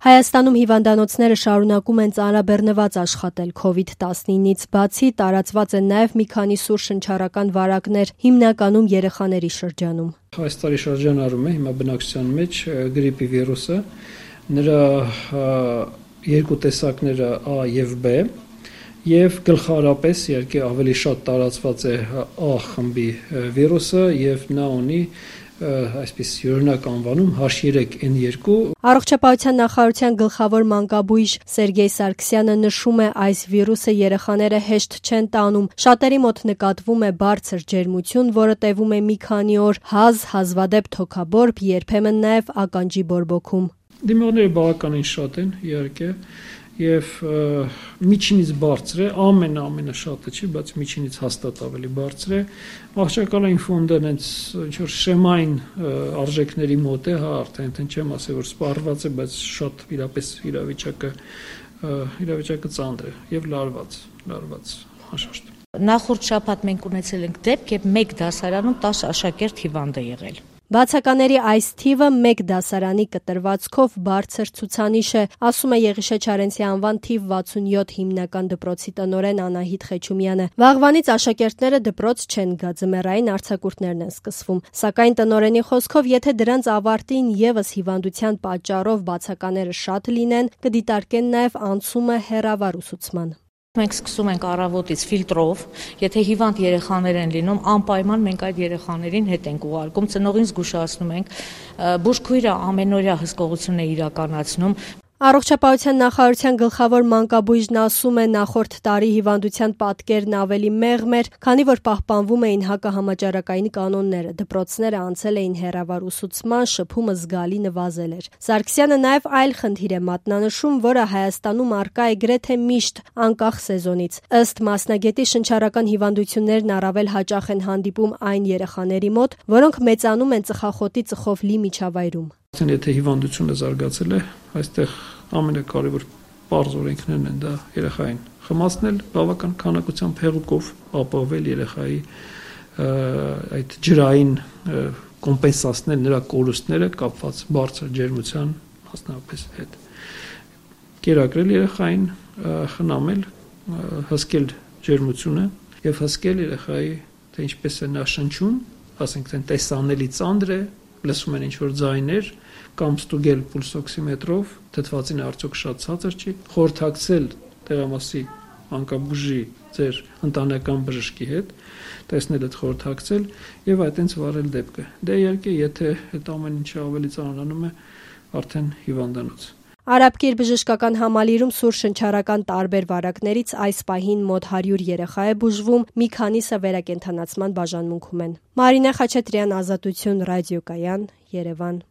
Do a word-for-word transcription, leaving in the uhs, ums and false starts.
Հայաստանում հիվանդանոցները շարունակում են ծանրաբեռնված աշխատել քովիդ տասնինից բացի, տարածված են նաև մի քանի սուր շնչառական վարակներ, հիմնականում երեխաների շրջանում։ Այս տարի շրջանառում է հիմա բնակչության մեջ գրիպի վիրուսը, նրա երկու տեսակները A եւ B, եւ գլխավորապես իհարկե ավելի շատ տարածված է A խմբի վիրուսը եւ նա ունի այսպես յուրօրինակ անվանում H three N two։ Առողջապահության նախարարության գլխավոր մանկաբույժ Սերգեյ Սարգսյանը նշում է, այս վիրուսը երեխաները հեշտ չեն տանում։ Շատերի մոտ նկատվում է բարձր ջերմություն, որը տևում է մի քանի օր, հազ, հազվադեպ թոքաբորբ, երբեմն նաև ականջի բորբոքում։ Դիմողները բավականին շատ են, իհարկե, եւ միջինից բարձր է, ամեն ամենը շատը չի, բայց միջինից հաստատ ավելի բարձր է։ Աղջկալային ֆոնդը հենց ինչ որ շեմային արժեքների մոտ է, հա, արդեն չեմ ասել, որ սպառված է, բայց շատ իրապես իրավիճակը իրավիճակը ծանր է եւ լարված, լարված անշուշտ։ Նախորդ շաբաթ մենք ունեցել ենք դեպք, երբ մեկ դասարանում տասը աշակերտ հիվանդ է եղել։ Բացակաների այս թիվը մեկ դասարանի կտրվածքով բարձր ցուցանիշ է, ասում է Եղիշե Չարենցի անվան թիվ վաթսունյոթ հիմնական դպրոցի տնօրեն Անահիտ Խեչումյանը։ Վաղվանից աշակերտները դպրոց չեն գա, ձմեռային արձակուրդներն են սկսվում, սակայն տնօրենի խոսքով, եթե դրանց ավարտին եւս հիվանդության պատճառով բացակաները շատ լինեն, կդիտարկեն նաեւ անցումը հեռավար ուսուցման։ Մենք սկսում ենք առավոտից ֆիլտրով, եթե հիվանդ երեխաներ են լինում, անպայման մենք այդ երեխաներին հետ ենք ուղարկում, ծնողին զգուշացնում ենք, բուժքույրը ամենօրյա հսկողություն է իրականացնում։ Առողջապահության նախարարության գլխավոր մանկաբույժն ասում է, նախորդ տարի հիվանդության պատկերն ավելի մեղմ էր, քանի որ պահպանվում էին հակահամաճարակային կանոնները, դպրոցները անցել էին հեռավար ուսուցման, շփումը զգալի նվազել էր։ Սարգսյանը նաև այլ խնդիր է մատնանշում, որը Հայաստանում առկա է գրեթե միշտ, անկախ սեզոնից։ Ըստ մասնագետի, շնչառական հիվանդություններն առավել հաճախ են հանդիպում այն երեխաների մոտ, որոնք մեծանում են ծխախոտի ծխով լի միջավայրում։ Եթե հիվանդությունը զարգացել է, այստեղ ամենակարևոր պարզ օրենքներն են դա երեխային խմացնել, բավական քանակությամբ հեղուկով ապահովել երեխայի այդ ջրային կոմպենսացնել նրա կորուստները կապված բարձր ջերմության մասնավորապես հետ։ Կերակրել երեխային, խնամել, հսկել ջերմությունը եւ հսկել երեխայի, թե ինչպես է նա շնչում, ասենք թե տեսանելի ծանր է, լսում են ինչ-որ ձայներ, կամ ստուգել պուլսօքսիմետրով, թթվածին արդյոք շատ ցածր չի, խորհրդակցել տեղամասի մանկաբույժի ձեր ընտանեկան բժշկի հետ, տեսնել այդ խորհրդակցել եւ այդտենց վարել դեպքը։ Դե իհարկե, եթե այդ ամեն ինչը ավելի ծանրանում է, արդեն հիվանդանոց։ Արաբկիր բժշկական համալիրում սուր շնչառական տարբեր վարակներից այս պահին մոտ հարյուր երեխա է բուժվում, մի քանիսը վերակենդանացման բաժանմունքում են։ Մարինե Խաչատրյան, Ազատություն, ռադիոկայան, Երևան։